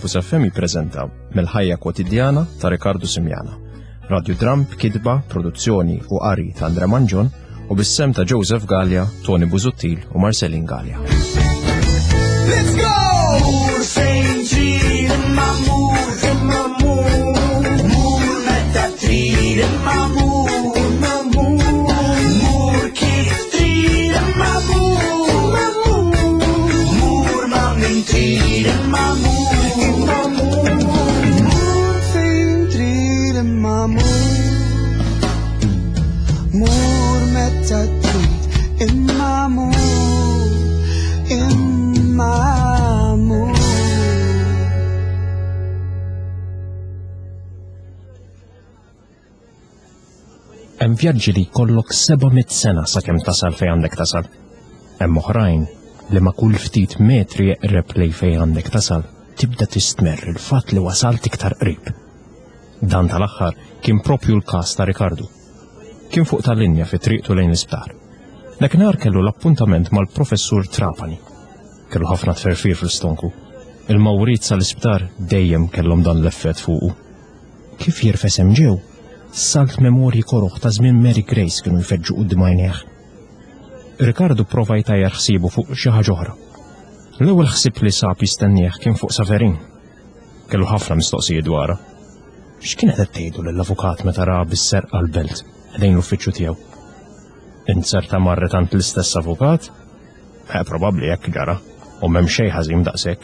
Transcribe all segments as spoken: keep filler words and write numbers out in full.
Campus F M jippreżenta Mill-ħajja kwotidjana ta' Riccardo Simiana. Radiodram b'kitba, produzzjoni u qari ta' Andre Mangion u bis-sem ta' Joseph Galea, Tony Busuttil u Marcelin Galea. Let's go! Mur fejn trid imma mur, imma mur. Mur meta trid imma mur, imma mur. Mur kif trid imma mur, imma mur. Mur ma' min trid imma mur, imma mur. Mur fejn trid imma mur. Mur meta trid imma mur, imma mur. Hemm vjaġġi li jkollok seba' mitt sena sakemm tasal fejn għandek tasal. Hemm oħrajn li ma' kull ftit metri eqreb lej fejn għandek tasal tibda tistmerr il-fatt li wasalt iktar qrib. Dan tal-aħħar kien propju l-każ ta' Riccardo. Kien fuq tal-linja fi triqtu lejn l-isptar. Dakinhar kellu l-appuntament mal-professur Trapani. Kellu ħafna tferfir fl-istonku. Il-mawrit sal-isptar dejjem kellhom dan l-effett fuqu. Kif jirfes hemm ġew, salt memorji koroħ ta' żmien Mary Grace kienu jfeġġu quddiem għajnejh. Riccardo prova jtajjar ħsiebu fuq xi ħaġa oħra. L-ewwel ħsieb li sab jistennieh kien fuq Saverin. Kellu ħafna mistoqsijiet dwarha. X'kienet qed tgħidu lill-avukat meta ra bis-serqa l-belt ħdejn l-uffiċċju tiegħu? Inzerta marret għand l-istess avukat? Eh, probabbli hekk ġara, u m'hemm xejn ħażin daqshekk.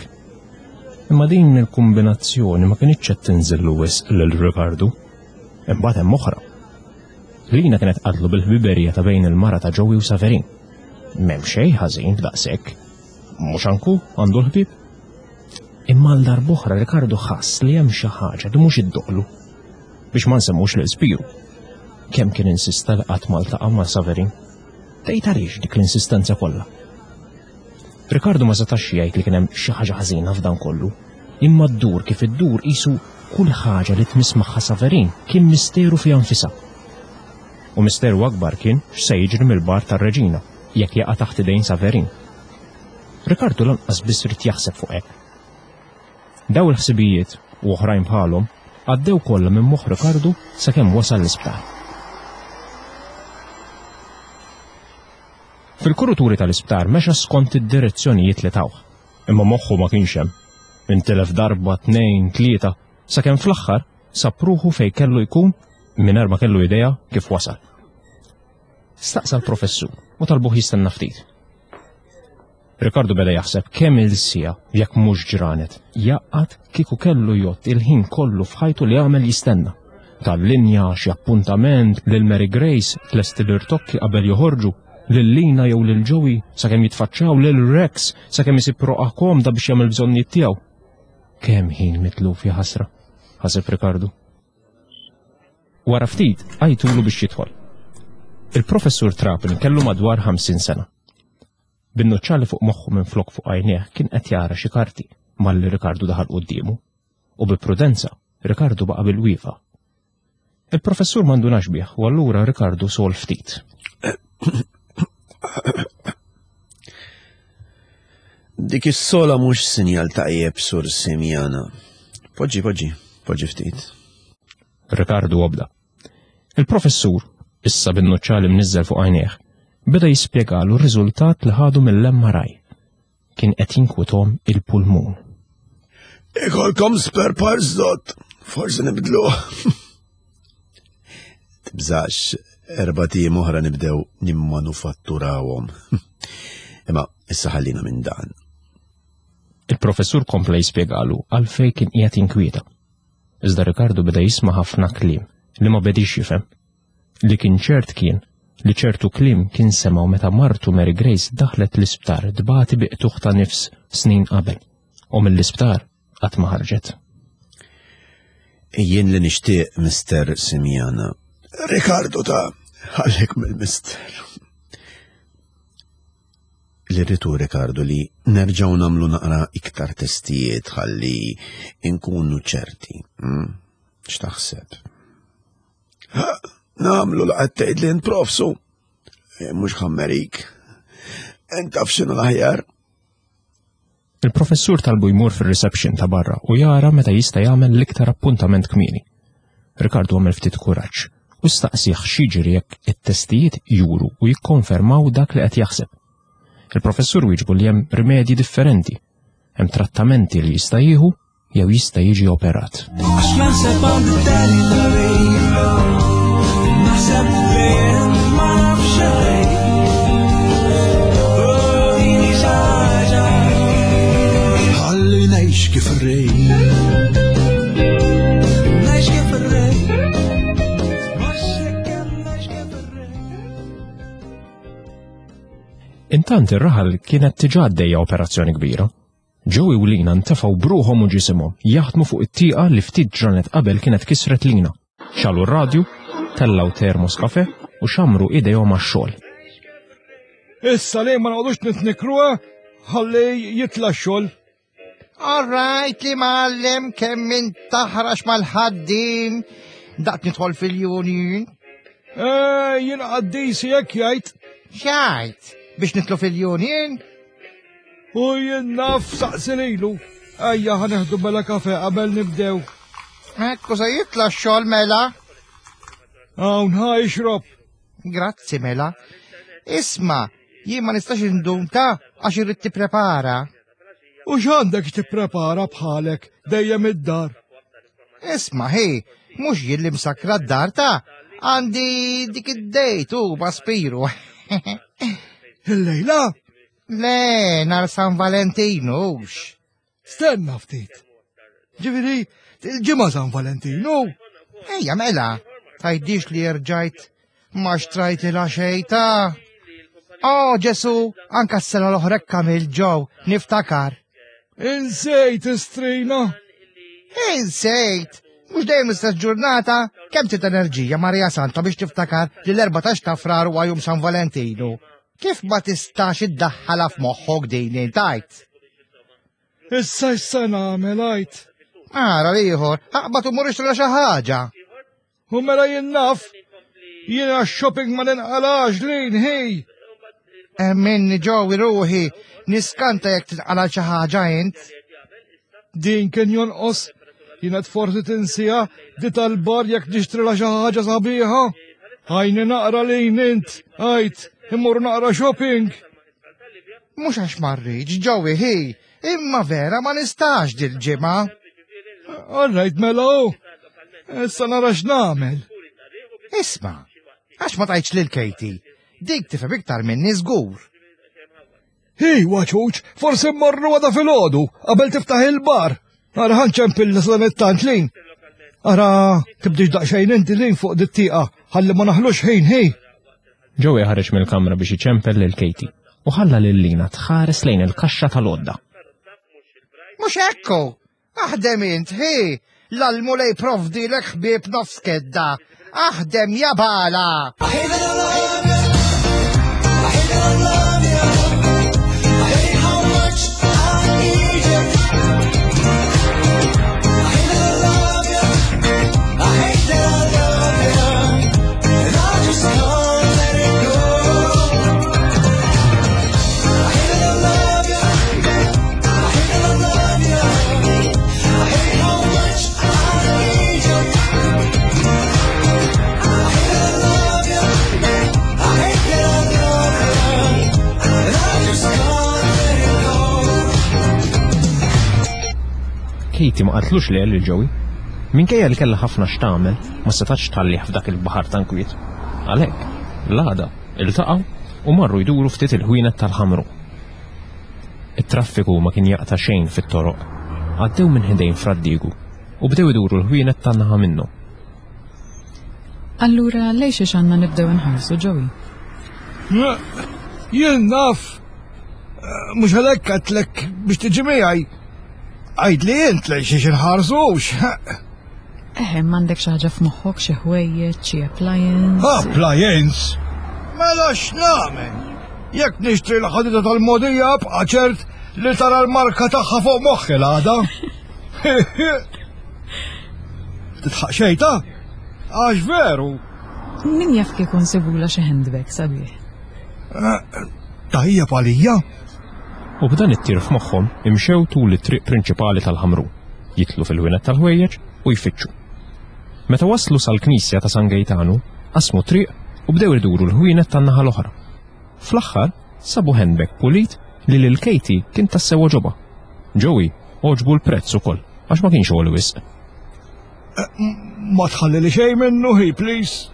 Imma din il-kombinazzjoni ma kinitx qed tinżillu wisq lil Riccardo. Imbagħad hemm oħra. Lina kienet qatlu bil-ħbiberija ta' bejn il-mara ta' Joey u Saverin. M'hemm xejn ħażin f'daqshekk. Mhux anku għandu l-ħbieb. Imma għal darb'oħra Riccardo ħass li hemm xi ħaġa li mhux iddoqlu. Biex ma nsemmux lil Spiru. Kemm kien insista li qatt ma ltaqa' ma' Saverin. Tgħid għaliex dik l-insistenza kollha. Riccardo ma setax jgħid li kien hemm xi ħaġa ħażina f'dan kollu. Imma ddur kif iddur qisu kull ħaġa li tmiss magħha Saverin kien misteru fiha nfisha. U misteru akbar kien x'se jiġri mill-bar tar-Reġina jekk jaqa' taħt idejn Saverin. Riccardo lanqas biss rid jaħseb fuq hekk. Daw il-ħsibijiet u oħrajn bħalhom għaddew kollha minn moħħ Riccardo sakemm wasal l-isptar. Fil-kuruturi tal-isptar mexa skont id-direzzjonijiet li tawh, imma moħħu ma kienx hemm. Intilef darba, tnejn, tlieta, sakemm fl-aħħar sab ruħu fejn kellu jkun mingħajr ma kellu idea kif wasal. Staqsa l-professur u talbuh jistenna ftit. Riccardo beda jaħseb kemm il-sija jekk mhux ġranet jaqgħad kieku kellu jgħodd il-ħin kollu f'ħajtu li għamel jistenna. Tal-linja, xi appuntament, lil Mary Grace tlesti l-irtokki qabel joħorġu, lil Lina jew lil Joey sakemm jitfaċċaw, lil Rex sakemm isib roqgħa komda biex jagħmel bżonnijiet tiegħu. Kemm ħin mitluf ja ħasra, ħaseb Riccardo. Wara ftit għajtulu biex jidħol. Il-professur Trapani kellu madwar ħamsin sena. Bin-nuċċali fuq moħħu minn flok fuq għajnejh kien qed jara xi karti malli Riccardo daħal quddiemu u bi prudenza Riccardo baqa' bil-wieqfa. Il-professur m'għandunax bih u allura Riccardo sol ftit. Dik is-sola mhux sinjal tajjeb sur Simiana. Poġġi, poġġi, poġġi ftit. Riccardo obda. Il-professur, issa bin-nuċċali mniżżel fuq għajnejh, beda jispjegalu r-riżultat li ħadu mill-M R I. Kien qed jinkwithom il-pulmun. Ikolkom spare parts dot, forsi nibdluh. Tibżax, erba' tiem oħra nibdew nimmanufatturawhom. Imma issa ħallina minn dan. Il-professur kompla jispjegalu għalfejn kien qiegħed jinkwieta. Iżda Riccardo beda jisma' ħafna kliem li ma bedix jifhem. Li kien ċert kien li ċertu kliem kien semgħu meta martu Mary Grace daħlet l-isptar tbati bi qtugħ ta' nifs snin qabel u mill-isptar qatt ma ħarġet. Jien li nixtieq Mister Simiana. Riccardo ta' ħallek mill-mister. Li rritu Riccardo li nerġgħu nagħmlu naqra iktar testijiet ħalli nkunu ċerti. Hmm? X'taħseb? Ha, nagħmlu la qed tgħid li nprofsu. Eh, mhux ħammerik. Int taf x'inhu l-aħjar. Il-professur talbu jmur fir-reception ta' barra u jara meta jista' jagħmel l-iktar appuntament kmieni. Ricardo għamel ftit kuraġġ u staqsih x'jiġri jekk it-testijiet juru u jikkonfermaw dak li qed jaħseb. Il-professur wieġbu li hemm rimedji differenti, hemm trattamenti li jista' jieħu jew jista' jiġi operat. Għax naħseb għand it-territory Naħseb fejn ma nafx xejn. Oh, din hi xi ħaġa. Ħalli ngħix kif irrid. Ngħix kif irrid. Mhux hekk ngħix kif irrid. Intant ir-raħal kienet diġà għaddejja operazzjoni kbira. Joey u Lina ntefgħu b'ruħhom u ġisimhom jaħdmu fuq it-tieqa li ftit ġranet qabel kienet kisret Lina. Xegħlu r-radju, tellgħu termos kafe u xamru idejhom għax-xogħol. Issa li ma noqogħdux nitnikruha ħalli jitla' x-xogħol. All right li mgħallem kemm int taħrax mal-ħaddiem, daqt nidħol fil-union. Eh, jien qaddisi jekk jgħid. X'għidt biex nidħlu fil-union? U jien naf saqsi lilu. Ejja ħa nieħdu mela kafe qabel nibdew. Ekku se jitla' x-xogħol mela. Hawn ħa ixrob. Grazzi mela. Isma, jien ma nistax indum ta' għax irrid tipprepara. U x'għandek tipprepara bħalek dejjem id-dar? Isma, hi, mhux jien li msakra d-dar ta' għandi dik id-date u ma' Spiru. Il-lejla? Le, nhar San Valentinu. Stenna ftit. Ġifieri, il-ġimgħa San Valentinu. Ejja mela, tgħidlix li rġajt ma xtrajtilha xejn ta'. Oh, Ġesu, anka s-sena l-oħra kamil ġew, niftakar. Insejt istrina. Insejt, mhux dejjem istess ġurnata, kemm trid enerġija Marija Santa biex tiftakar li l-erbatax ta' Frar huwa jum San Valentinu. Kif ma tistax iddaħħalha f'moħħok din intajt? Issa issa nagħmel għajt. Ara ieħor, aqbad u mur ixtri xi ħaġa. U mela jien naf. Jiena shopping ma ninqalax lin ħej. Minni ġowi ruħi, niskanta jekk tinqala xi ħaġa int. Din kien jonqos. Jiena forsi tinsija di tal-bar jekk nixtri xi ħaġa sabiħa. Ħajni naqra lin int, għajt, immur naqra shopping. Mhux għax ma rridx ġowi ħi, imma vera ma nistax dil-ġimgħa. All right, mela u. Issa nara x'nagħmel. Isma, għax ma tgħidx lil Katie, dik tifhem iktar minni żgur. Hi, waċuċ, forsi mmorru għada filgħodu, qabel tiftaħ il-bar. Ara ħa nċempel sadanittant lin. Ara, tibdix daqsxejn inti lin fuq dit-tieqa, ħalli ma naħlux ħin, ħi. Joey ħareġ mill-kamra biex iċempel lil Katie u ħalla lil Lina tħares lejn il-kaxxa tal-għodda. Mhux ekku, aħdem int, hi, l-Mulej provdilek ħbieb nofs kedda. Aħdem ja bala. I hate that I love you. I hate that I love you. I hate how much I need you. I hate that I love you. I hate that I love you. And I just can't let it go. I hate that I love you. I hate that I love you. I hate how much I need you. I hate that I love you. I hate that I love you. And I just can't let it go. Katie ma qaltlux le lil Joey. Minkejja li kellha ħafna x'tagħmel, ma setax tħallih f'dak il-baħar ta' nkwiet. Għalhekk, l-għada iltaqgħu u marru jduru ftit il-ħwienet tal-Ħamrun. It-traffiku ma kien jaqta' xejn fit-toroq. Għaddew minn ħdejn Fra Diegu u bdew iduru l-ħwienet tan-naħa minnu. Allura lejn xiex għandna nibdew nħarsu, Joey? Jien naf. Mhux għalhekk għedtlek biex tiġi miegħi. Għid li int lejn xiex inħarsux. Eħe, m'għandek xi ħaġa f'moħħok, xi ħwejjeġ, xi appliance. Appliance? Mela x'nagħmel? Jekk nixtri l-ħadida tal-mogħdija bqa' ċert li tara l-marka tagħha fuq moħħi l-għada. Titħaq xejta? Għax veru. Min jaf kieku nsibula xi handbag sabiħ. Tajjeb għalija. U b'dan it-tir f'moħħhom imxew tul it-triq prinċipali tal-Ħamrun, jidħlu fil-ħwienet tal-ħwejjeġ u jfittxu. Meta waslu sal-Knisja ta' San Gejtanu, qasmu triq u bdew iduru l-ħwienet tan-naħa l-oħra. Fl-aħħar sabu handbag pulit li lil Katie kien tassew għoġobha. Joey għoġbu l-prezz ukoll għax ma kienx għoli wisq. Ma tħalli li xejn minnu, hi, please.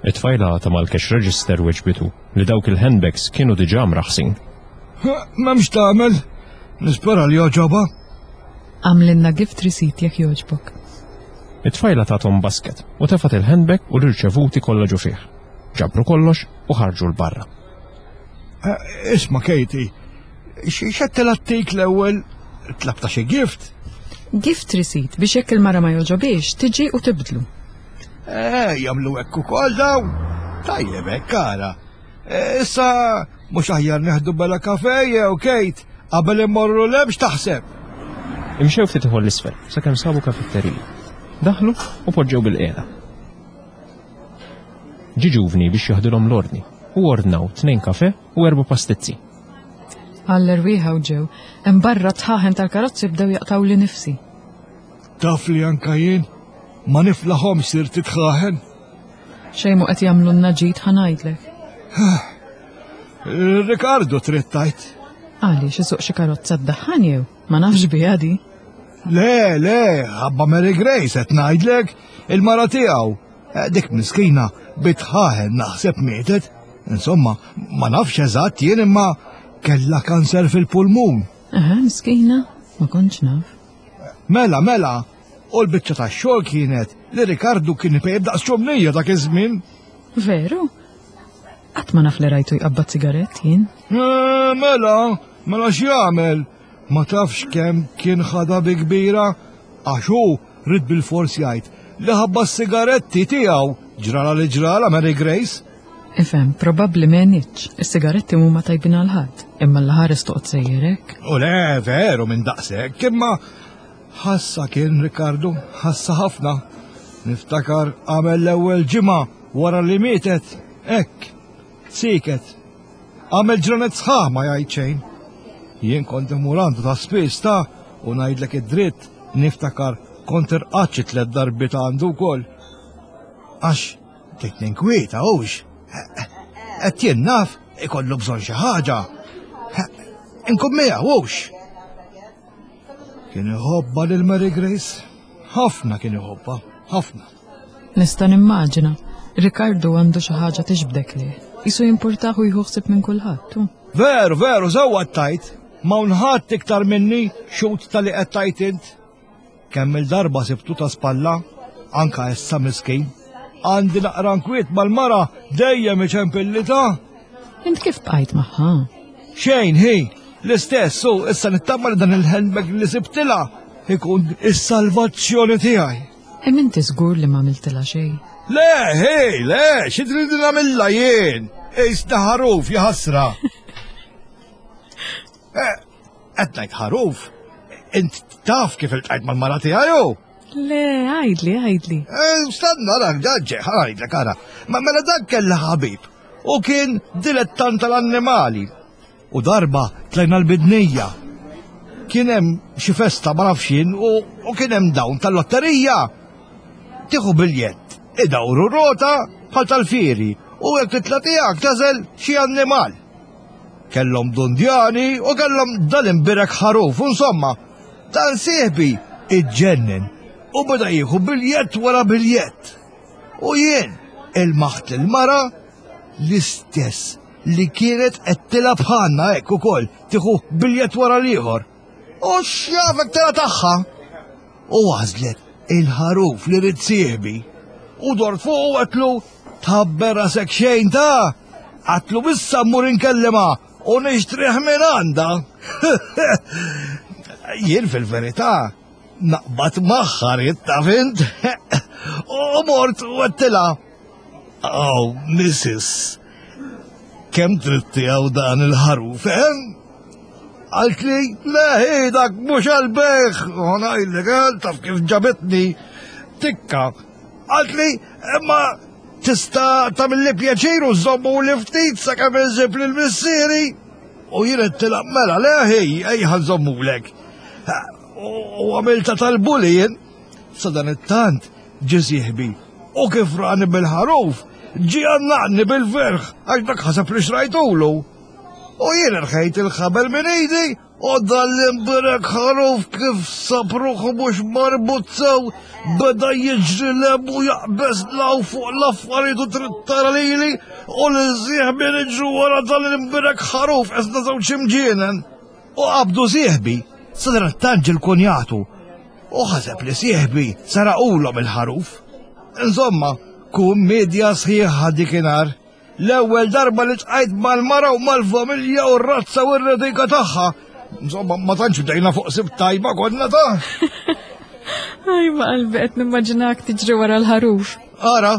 It-tfajla ta' mal-cash register weġbitu li dawk il-handbags kienu diġà mraħsin. M'hemmx tagħmel. Nispera li jogħġobha. Agħmlilna gift receipt jekk jogħġbok. It-tfajla tathom basket u tefat il-handbag u l-irċevuti kollha ġo fih. Ġabru kollox u ħarġu 'l barra. Eh, Isma' Katie, x'għedtilha ttik l-ewwel tlabtha xi gift? Gift receipt biex jekk il-mara ma jogħġobhiex tiġi u tibdlu. Eh, jagħmlu hekk ukoll daw. Tajjeb hekk ara. Eh, Issa mhux aħjar neħdu bella kafe jew Kate qabel immorru 'l hemm x'taħseb. Imxew ftit ieħor 'l isfel sakemm sabu kafetterija. Daħlu u poġġew bilqiegħda. Ġie ġuvni biex jaħdilhom l-ordni u ordnaw tnejn kafe u erba' pastizzi. Għall-erwieħa u ġew, hemm barra dħaħen tal-karozzi bdew jaqtgħuli nifsi. Taf li anka jien ma niflaħhom sirt id-dħaħen. Xejn mhu qed jagħmlulna ġid ħa ngħidlek. Ricardo trid tgħid. Għaliex isuq xi karozza ddaħħan jew? Ma nafx biha di. Le, le, ħabba Mary Grace qed ngħidlek il-mara tiegħu. Eh, Dik miskina bid-dħaħen naħseb mietet. Insomma, ma nafx eżatt jien imma kella kanser fil-pulmun. Aha, miskina, ma kontx naf. Mela, mela, u l-biċċa tax-xogħol kienet li Ricardo kien ipejjep daqs ċumnija dak iż-żmien. Veru? Qatt ma naf li rajtu jqabbad sigarett jien. Eh, Mela, mela x'jagħmel? Ma tafx kemm kien ħadha bi kbira għax hu ried bil-fors jgħid li ħabba s-sigaretti tiegħu ġrala li ġrala Mary Grace. Ifhem, probabbli m'għenitx. Is-sigaretti mhuma tajbin għal ħadd, imma l-ħares toqgħod sejjerek. U le, veru minn daqshekk, imma ħassa kien Ricardo, ħassa ħafna. Niftakar għamel l-ewwel ġimgħa wara li mietet, hekk, siket. Għamel ġranet sħaħ ma jgħid xejn. Jien kont immur għandu ta' spiss ta' u ngħidlek id-dritt niftakar kont irqadt xi tliet darbiet għandu wkoll. Għax bdejt ninkwieta hux. Qed jien naf ikollu bżonn xi ħaġa. Inkun miegħu hux. Kien iħobbha lil Mary Grace. Ħafna kien iħobbha, ħafna. Nista' nimmaġina. Ricardo għandu xi ħaġa tiġbdek lih. Qisu jimpurtah u jieħu ħsieb minn kulħadd. hu. Veru, veru, sewwa tgħid. M'hawn ħadd iktar minni xhud ta' li qed tgħid int. Kemm il-darba sibtu ta' spalla, anka issa miskin. Għandi naqra nkwiet mal-mara dejjem iċempilli ta' Int kif bqajt magħha? Xejn, hi, l-istess, u issa nittama li dan il-handbag li sibtilha ikun is-salvazzjoni tiegħi. Imma inti żgur li ma għamiltilha xejn. Le, hi, le, xi trid nagħmilha jien? Issa ħaruf jaħasra. Eh, qed ngħid ħaruf. Int taf kif iltqajt mal-mara tiegħi hu? Le, għidli, għidli. Eh, Stanna, rak, ġaġġe, ħa ngħidlek, ara. Ma mela dak kella ħabib. U kien dilettant tal-annimali. U darba tlajna l-Bidnija. Kien hemm xi festa ma nafx jien u, u kien hemm dawn tal-lotterija. Tieħu biljett, idawru rota bħal tal-fieri u jekk titla' tiegħek tagħżel xi annimal. Kellhom dundjani u kellhom dal-imbirek ħaruf, u insomma, dan sieħbi iġġennen u beda jieħu biljett wara biljett. U jien ilmaħt il-mara l-istess li kienet qed tilgħab bħalna hekk ukoll tieħu biljett wara l-ieħor. U x'jafek tela' tagħha. U għażlet il-ħaruf li ried sieħbi. U dort fuq u għedtlu tħabber rasek xejn ta' għedtlu issa mmur inkellima u nixtrih minn għandha. Jien fil-verità naqbad magħha ridt taf int. U mort u għedtilha. Oh, Missus, kemm trid tiegħu dan il-ħaruf, eh? Qaltli, le, hi, dak mhux għall-bejgħ, u ngħidlek, eh, taf kif ġabitni tikka. Qaltli, imma tista' tagħmilli pjaċir u żommu li ftit sakemm insib lil missieri. U jien għedtilha mela le ħej, ejja nżommulek. U għamilta tal-bully jien. Sadanittant ġie sieħbi u kif rani bil-ħaruf, ġie għannaqni bil-ferħ għax dak ħaseb li xrajtulu. U jien irħejt il-ħabel minn idi u dan l-imbierek ħaruf kif sab ruħu mhux marbut sew beda jiġri lem u jaqbeż law fuq l-affarijiet u trid tara lili u lil sieħbi niġru wara dan l-imbierek ħaruf qisna żewġ imġienen. U qabdu sieħbi, sadanittant ġie l-kunjatu u ħaseb li sieħbi saraqulhom il-ħaruf. Insomma, kummedja sħiħa dikinhar. L-ewwel darba li tqajt mal-mara u mal-familja u r-razza u r-redika tagħha. Insomma, ma tantx bdejna fuq sib tajba konna ta'. Aj, ma qalbi qed nimmaġinak tiġri wara l-ħaruf. Ara,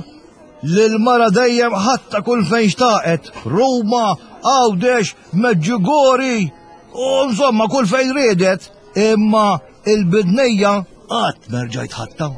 lil-mara dejjem ħatta kull fejn xtaqet. Ruma, Għawdex, Medjugorje, u insomma kull fejn riedet. Imma il-bidnejja qatt merġajt ħatta.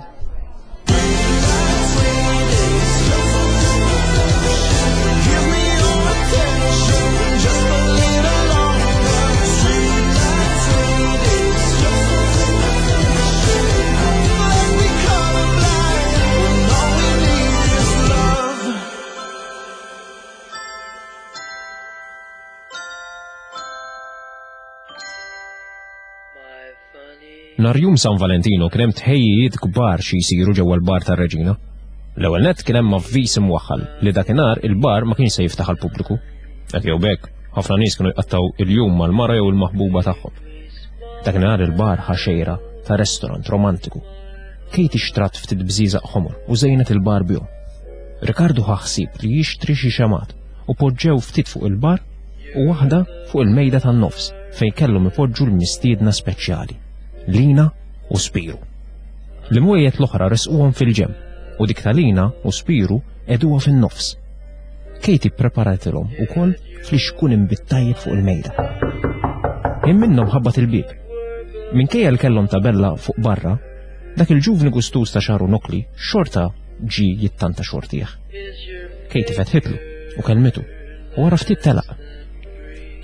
Nhar jum San Valentino kien hemm tħejjijiet kbar xi jsiru ġewwa l-bar tar-Reġina. L-ewwel nett kien hemm avviż imwaħħal li dakinhar il-bar ma kienx se jiftaħ għall-pubbliku. Hekk jew b'hekk, ħafna nies kienu jqattgħu il-jum mal-mara jew il-maħbuba tagħhom. Dakinhar il-bar ħa xejra ta' restorant romantiku. Katie xtrat ftit bżieżaq ħomor u żejnet il-bar bihom. Ricardo ħa ħsieb li jixtri xi xemgħat u poġġew ftit fuq il-bar u waħda fuq il-mejda tan-nofs fejn kellhom ipoġġu l-mistiedna speċjali, Lina u Spiru. L-imwejjed l-oħra resquhom fil-ġenb u dik ta' Lina u Spiru qegħduha fin-nofs. Katie preparatilhom ukoll flixkun inbid tajjeb fuq il-mejda. Ħin minnhom ħabbat il-bieb. Minkejja li kellhom tabella fuq barra, dak il-ġuvni gustuż ta' xagħru nokli xorta ġie jittanta xortih. Katie fetħitlu u kellmitu u wara ftit telaq.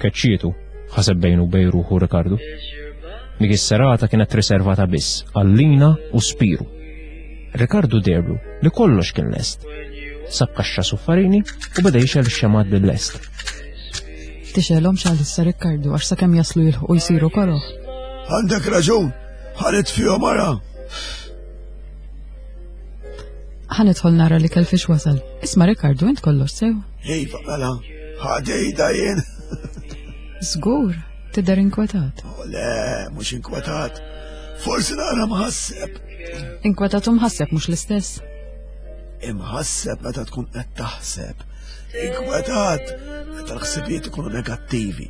Keċċietu, ħaseb bejnu bejn ruħu Ricardo. Dik is-serata kienet riservata biss għal Lina u Spiru. Ricardo deherlu li kollox kien lest. Sab kaxxa suffarini u beda jixgħel ix-xemgħat bil-lest. Tixgħelhom għalissa Riccardo għax sakemm jaslu jilħqu jsiru koroh. Għandek raġun, ħa nitfihom ara. Ħa nidħol nara l-ikel fiex wasal. Isma' Riccardo, int kollox sew. Iva, mela, ħadejda jien. Żgur, tidher inkwetat. Oh, le, mhux inkwetat. Forsi nara mħasseb. Inkwetat u mħasseb mhux l-istess. Imħasseb meta tkun qed taħseb. Inkwetat meta l-ħsibijiet ikunu negattivi.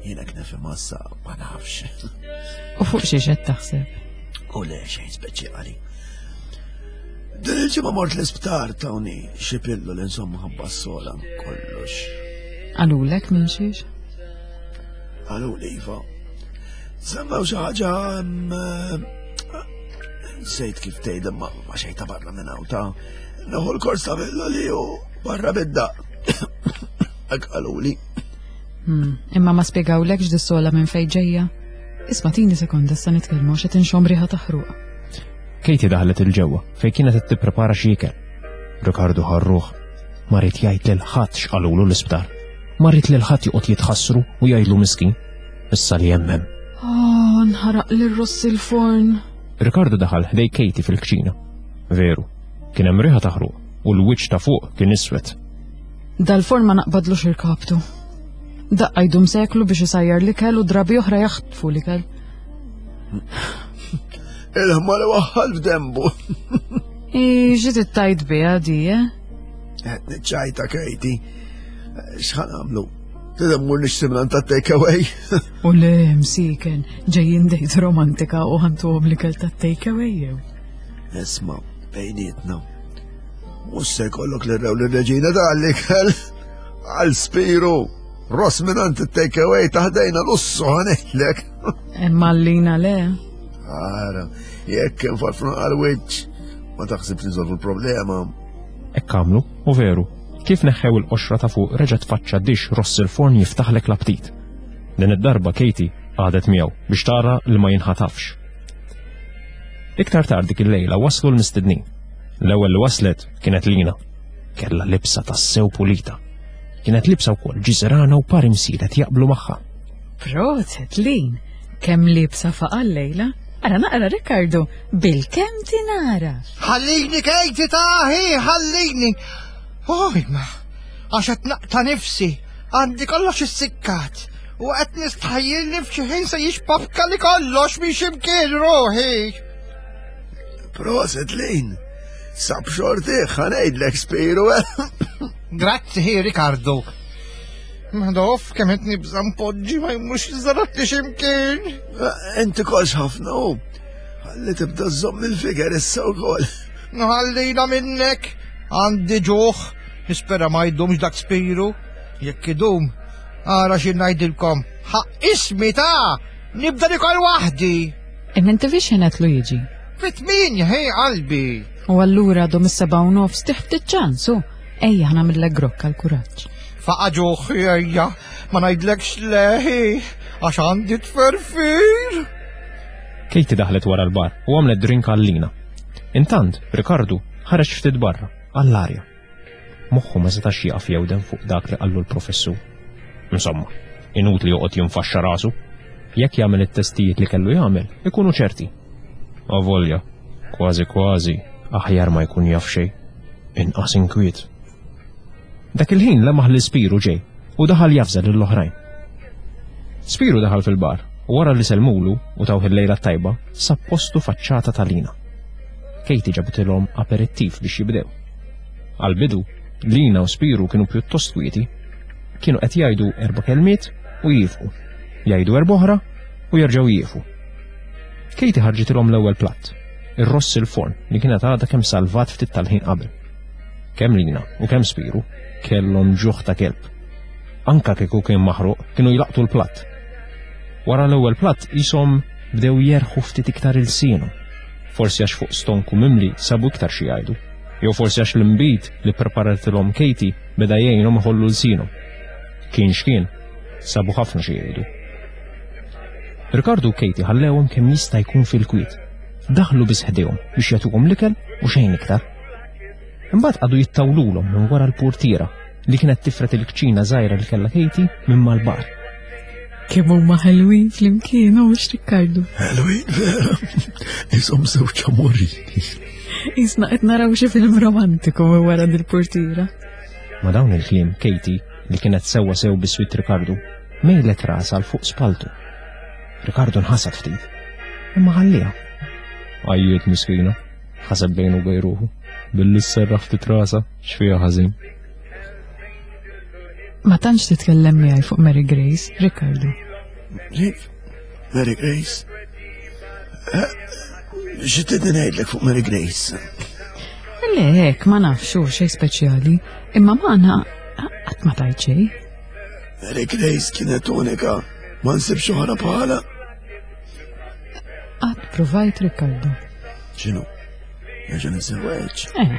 Jien hekk nifhem issa ma nafx. U fuq xiex qed taħseb? U le xejn speċjali. Din il-ġimgħa mort l-isptar tawni xi pilloli insomma ħabba s-sola kollox. Qalulek minn xiex? Qaluli iva. Semmew xi ħaġa nsejt kif tgħid imma ma xejn ta' barra minn hawn ta' nieħu l-kors ta' pilloli u barra bid-daq. Hekk qaluli. Hmm, imma ma spjegawlekx dis-sola minn fejn ġejja? Isma' tini sekonda issa nitkellmu għax qed inxomm riħa ta' ħruq. Katie daħlet il-ġewwa fejn kienet qed tipprepara xi ikel. Ricardo ħarruh. Ma ried jgħid lil ħadd x'qalulu l-isptar. Ma ried lil ħadd joqgħod jitħassru u jgħidlu miskin. Issa li hemm hemm. Oh, nħaraq l-ross il-forn. Ricardo daħal ħdej Katie fil-kċina. Veru, kien hemm riħa ta' ħruq u l-wiċċ ta' fuq kien iswed. Dal-forn ma naqbadlux irkabtu. Daqqa jdum seklu biex isajjar l-ikel u drabi oħra jaħtfu l-ikel. Il-ħma li waħħal f'dembu. I ġiet it-tajt biha di, eh? Qed niċċajta Katie. X'ħa nagħmlu? Trid immur nixtri minn ta' take away. U le, msiken, ġejjin date romantika u ħa ntuhom l-ikel ta' take away jew. Isma', bejnietna. Mhux se jkollok l-rew l-reġina tal-ikel. Għal Spiru, ross minn it-take away taħdejna lussu ħa ngħidlek. Imma l-lina le. Ara, jekk infarfru għal-wiċċ, ma taħsibx nsolvu l-problema. Hekk għamlu, u veru, kif neħħew il-qoxra ta' fuq reġa' tfaċċa dixx ross il-forn jiftaħlek l-aptit. Din id-darba Katie qagħdet miegħu biex tara li ma jinħatafx. Iktar tard dik il-lejla waslu l-mistednin. L-ewwel li waslet kienet Lina. Kellha libsa tassew pulita. Kienet libsa wkoll ġiżirana u par imsielet jaqblu magħha. Proset, Lin, kemm libsa faqa lejla. Ara naqra Rikkardu, bil-kemm tinara. Ħallini Katie taħi, ħallini. Oj, ma, għax qed naqta' nifsi, għandi kollox issikkat. U qed nistħajjilni f'xi ħin se jixpapka li kollox minn x'imkien ruħi. Proset, Lin. Sab xorti, ħa ngħidlek Spiru. Grazzi, hi, Ricardo. Madoff, kemm qed nibża' npoġġi ma jmurx jiżarat li x'imkien. Inti kolx ħafna u. Ħalli tibda żomm il-figer issa wkoll. Nħallina minnek, għandi ġuħ, nispera ma jdumx dak Spiru. Jekk idum, ara xi ngħidilkom, ħaq ismi ta' nibda nikol waħdi. Imma inti fiex ħinetlu jiġi. Fit-tminja, hej qalbi. U allura għadhom is-seba' u nofs tiħ ftit ċansu. Ejja ħa nagħmillek grokka l-kuraġġ. Faqa ġuħ, ejja, ma ngħidlekx leħi, għax għandi tferfir. Katie daħlet wara l-bar u għamlet drink għal Lina. Intant, Ricardo ħareġ ftit barra, għall-arja. Moħħu ma setax jaqaf jewden fuq dak li qallu l-professur. Insomma, inutli joqgħod jinfaxxa rasu. Jekk jagħmel it-testijiet li kellu jagħmel, ikunu ċerti. Avolja, kważi kważi, aħjar ma jkun jaf xejn. Inqas inkwiet. Dak il-ħin lemaħ li Spiru ġej u daħal jafżel lill-oħrajn. Spiru daħal fil-bar u wara li selmulu u tawh il-lejla tajba, sab postu faċċata ta' Lina. Katie ġabitilhom aperittiv biex jibdew. Għal-bidu, Lina u Spiru kienu pjuttost kwieti. Kienu qed jgħidu erba' kelmiet u jifqu. Jgħidu erba' oħra u jerġgħu jieqfu. Katie ħarġitilhom l-ewwel platt, ir-ross il-forn li kienet għadha kemm salvat ftit tal-ħin qabel. Kemm Lina u kemm Spiru kellhom ġuħ ta' kelb. Anka kieku kien maħruq, kienu jlaqtu l-platt. Wara l-ewwel platt qishom bdew jerħu ftit iktar ilsienhom. Forsi għax fuq stonku mimli sabu iktar xi jgħidu. Jew forsi għax l-imbid li preparatilhom Katie beda jgħinhom iħollu lsienhom. Kien x'kien, sabu ħafna xi jgħidu. Ricardo u Katie ħallewhom kemm jista' jkun fil-kwiet. Daħlu biss ħdejhom biex jagħtuhom l-ikel u xejn iktar. Imbagħad qagħdu jittawlulhom minn wara l-portiera li kienet tifret il-kċina żgħira li kellha Katie minn mal-bar. Kemm huma ħelwin flimkien, u mhux Rikkardu. Ħelwin vera. Isom żewġ amorini. Isna qed naraw xi film romantiku minn wara dil-portiera. Ma dawn il-kliem Katie, li kienet sewwa sew biswit Ricardo, mejlet rasha l fuq spaltu. Ricardo nħasad ftit, imma ħalliha. Għajjiet miskina, ħaseb bejnu u bejn ruħu, billi sserraħ ftit rasha x'fiha ħażin. Ma tantx titkellem miegħi fuq Mary Grace, Ricardo. Kif? Mary Grace? Eh, xi tridni ngħidlek fuq Mary Grace? Le, hekk ma nafx hu xejn speċjali, imma magħna qatt ma tajt xejn. Mary Grace kienet unika, ma nsibx oħra bħala. Qatt provajt, Ricardo. X'inhu? Nerġa' niżżewweġ. Eh.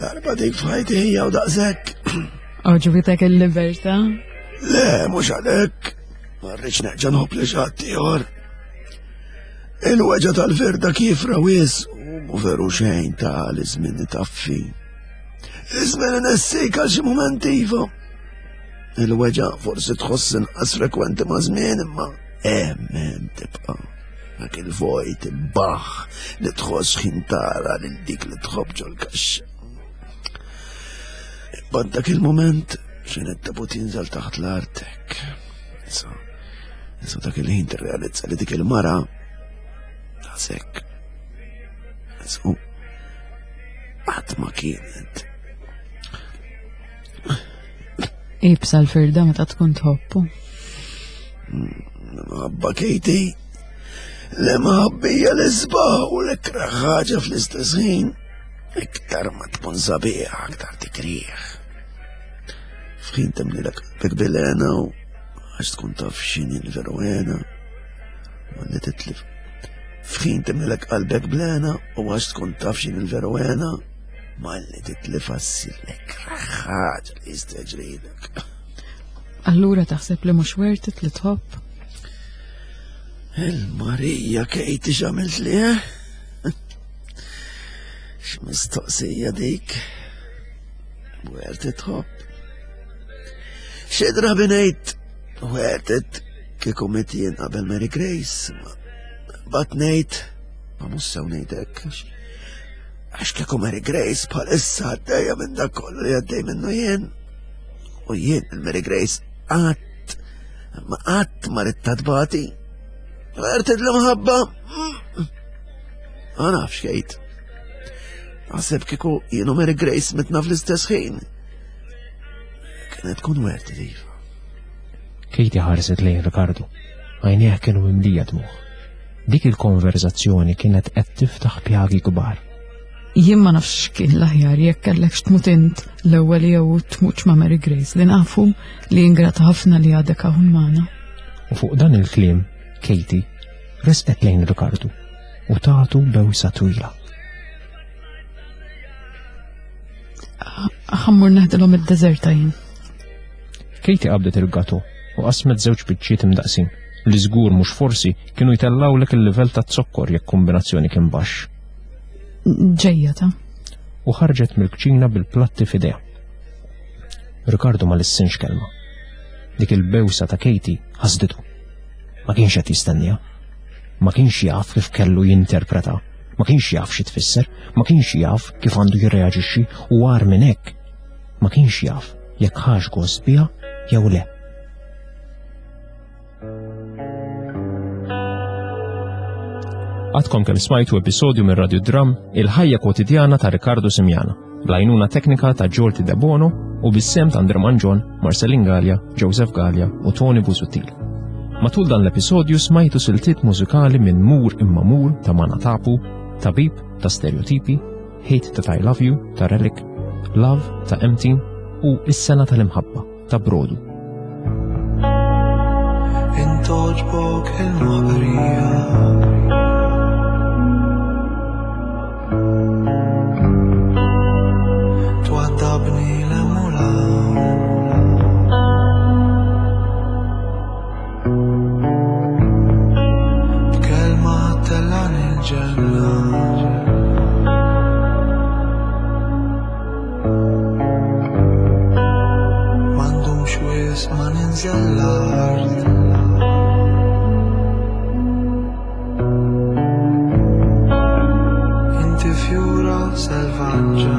Darba dik f'ħajti hija u daqshekk. Għoġbitek il-libertà? Le, mhux għalhekk. Ma rridx nerġa' nħobb li xi ħadd ieħor. Il-weġgħa tal-firda kif rawis u mu veru xejn ta' li żmien taffi. Iż-żmien inessik għal xi mument iva. Il-weġgħa forsi tħoss inqas frekwenti ma' żmien imma hemm hemm tibqa'. Dak il-vojt imbaħ li tħoss ħin tara lil dik li tħobb ġol-kaxxa. Imbagħad dak il-moment xejn it-tabut jinżel taħt l-artek. Issa, issa dak il-ħin tirrealizza li dik il-mara daqshekk. Issa, qatt ma kienet. Ibsa l-firda meta tkun tħobbu. Mħabba Katie, li mħabbija l-isbaħ u l-ikra ħaġa fl-istess ħin. Iktar ma tkun sabiħ, aktar tikrieħ. F'ħin temlilek qalbek bil-hena u għax tkun taf x'inhi l-veru hena, ma li titlif. F'ħin temlilek qalbek bl-hena u għax tkun taf x'inhi l-veru hena, ma li titlif għassir l-ikra ħaġa li jista' jiġrilek. Allura taħseb li mhux worth it li tħobb? Il-Marija Katie x'għamilt li, eh? X'mistoqsija dik? Worth it tħobb. Xi drabi ngħid worth it kieku mitt jien qabel Mary Grace. But ngħid, ma mhux sew ngħidlek. Għax kieku Mary Grace bħalissa għaddejja minn dak kollu li għaddej minnu jien. U jien il-Mary Grace qatt ma qatt ma ridtha tbati. Worth it l-imħabba. Ma nafx Kate. Naħseb kieku jien u Mary Grace mitna fl-istess ħin. Kienet tkun worth it iva. Katie ħarset lejn Ricardo. Għajnejha kienu mimlija dmugħ. Dik il-konverzazzjoni kienet qed tiftaħ pjagi kbar. Jien ma nafx kien l-aħjar jekk kellekx tmut int l-ewwel jew tmutx ma' Mary Grace li nafu li ingrata ħafna li għadek hawn magħna. U fuq dan il-kliem, Katie resqet lejn Ricardo u tatu bewsa twila. Ħa mmur neħdilhom id-deżerta jien. Katie qabdet il-gato u qasmet żewġ biċċiet imdaqsin li żgur mhux forsi kienu jtellawlek il-livell ta' zokkor jekk kombinazzjoni kien baxx. Ġejja ta' U ħarġet mill-kċina bil-platti f'idejha. Ricardo ma lissinx kelma. Dik il-bewsa ta' Katie ħasditu. Ma kienx qed jistenniha. Ma kienx jaf kif kellu jinterpreta. Ma kienx jaf xi tfisser, ma kienx jaf kif għandu jirreaġixxi u agħar minn hekk. Ma kienx jaf jekk ħax gost biha jew le. Għadkom kemm smajtu episodju minn Radio Dram Il-ħajja kwotidjana ta' Riccardo Simiana, bl-għajnuna teknika ta' Giorgi De Bono u bis-sehem ta' Andre Mangion, Marcelin Gallia, Joseph Gallia u Tony Busuttil. Matul dan l-episodju smajtu siltiet mużikali minn Mur Imma Mur ta' Mana Tapu, Tabib ta' Stereotipi, Hate That I Love You ta' Relic, Love ta' Empty u Is-Sena tal-Imħabba ta' Brodu. Intogħġbok il-moħqrija. Twaddabni l-emula. B'kelma tellani l-ġenna. M'għandux wisq ma ninżel l-art. Inti fjura selvaġġa.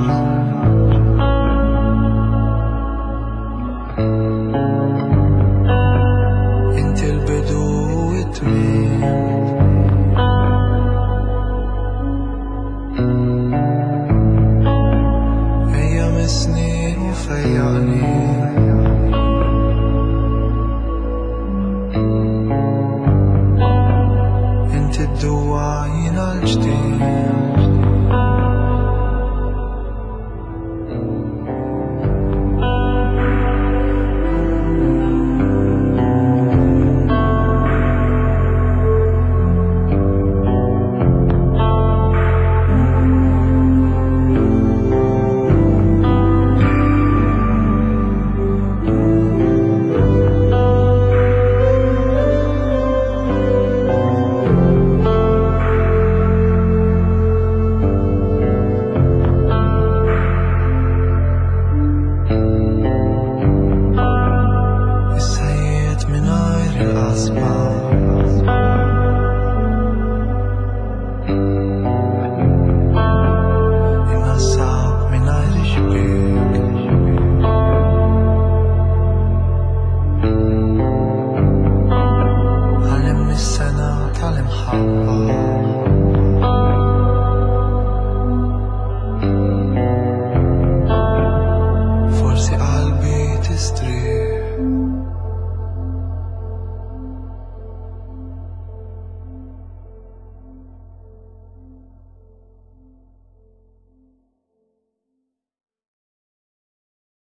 Inti l-bidu u t-tmiem. Ejja missni u fejjaqni. Inti d-duwa jiena l-ġdid. Is-sajjied mingħajr il-qasma. In-nassab mingħajr ix-xbiek. Għallimni s-sena tal-imħabba.